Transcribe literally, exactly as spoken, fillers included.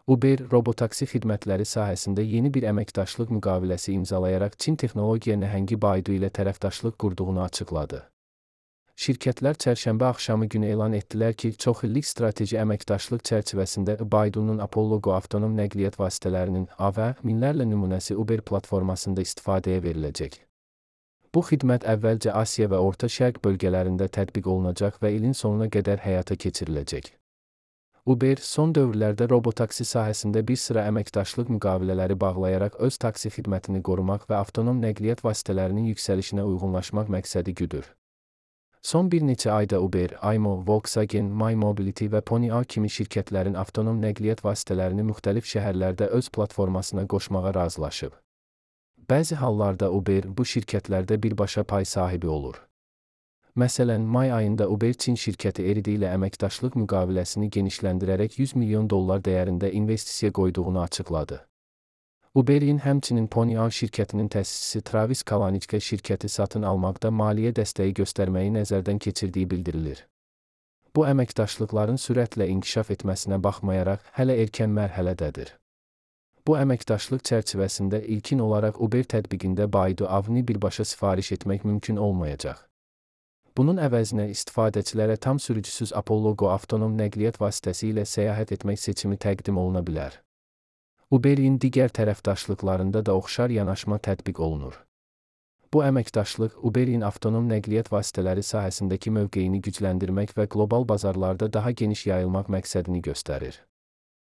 Uber, robotaksi xidmətləri sahəsində yeni bir əməkdaşlıq müqaviləsi imzalayaraq Çin texnologiya nəhəngi Baidu ilə tərəfdaşlıq qurduğunu açıqladı. Şirkətlər çərşənbə axşamı günü elan etdilər ki, çoxillik strateji əməkdaşlıq çərçivəsində Baidu'nun Apollo Go avtonom nəqliyyat vasitələrinin A V minlərlə nümunəsi Uber platformasında istifadəyə veriləcək. Bu xidmət əvvəlcə Asiya və Orta Şərq bölgələrində tətbiq olunacaq və ilin sonuna qədər həyata keçiriləcək. Uber, son dövrlərdə robotaksi sahəsində bir sıra əməkdaşlıq müqavilələri bağlayaraq öz taksi xidmətini qorumaq və avtonom nəqliyyat vasitələrinin yüksəlişinə uyğunlaşmaq məqsədi güdür. Son bir neçə ayda Uber, Aymo, Volkswagen, My Mobility və Pony.ai kimi şirkətlərin avtonom nəqliyyat vasitələrini müxtəlif şəhərlərdə öz platformasına qoşmağa razılaşıb. Bəzi hallarda Uber bu şirkətlərdə birbaşa pay sahibi olur. Məsələn, may ayında Uber Çin şirkəti Eridi ilə əməkdaşlıq müqaviləsini genişləndirərək yüz milyon dollar dəyərində investisiya qoyduğunu açıqladı. Uber'in həmçinin Pony.ai şirkətinin təsisçisi Travis Kalanick şirkəti satın almaqda maliyyə dəstəyi göstərməyi nəzərdən keçirdiyi bildirilir. Bu əməkdaşlıqların sürətlə inkişaf etməsinə baxmayaraq hələ erkən mərhələdədir. Bu əməkdaşlıq çərçivəsində ilkin olaraq Uber tətbiqində Baidu A V-ni birbaşa sifariş etmək mümkün olmayacaq. Bunun əvəzinə istifadəçilərə tam sürücüsüz Apollo Go avtonom nəqliyyat vasitəsi ilə səyahət etmək seçimi təqdim oluna bilər. Uber'in digər tərəfdaşlıqlarında da oxşar yanaşma tətbiq olunur. Bu əməkdaşlıq Uber'in avtonom nəqliyyat vasitələri sahəsindəki mövqeyini gücləndirmək və qlobal bazarlarda daha geniş yayılmaq məqsədini göstərir.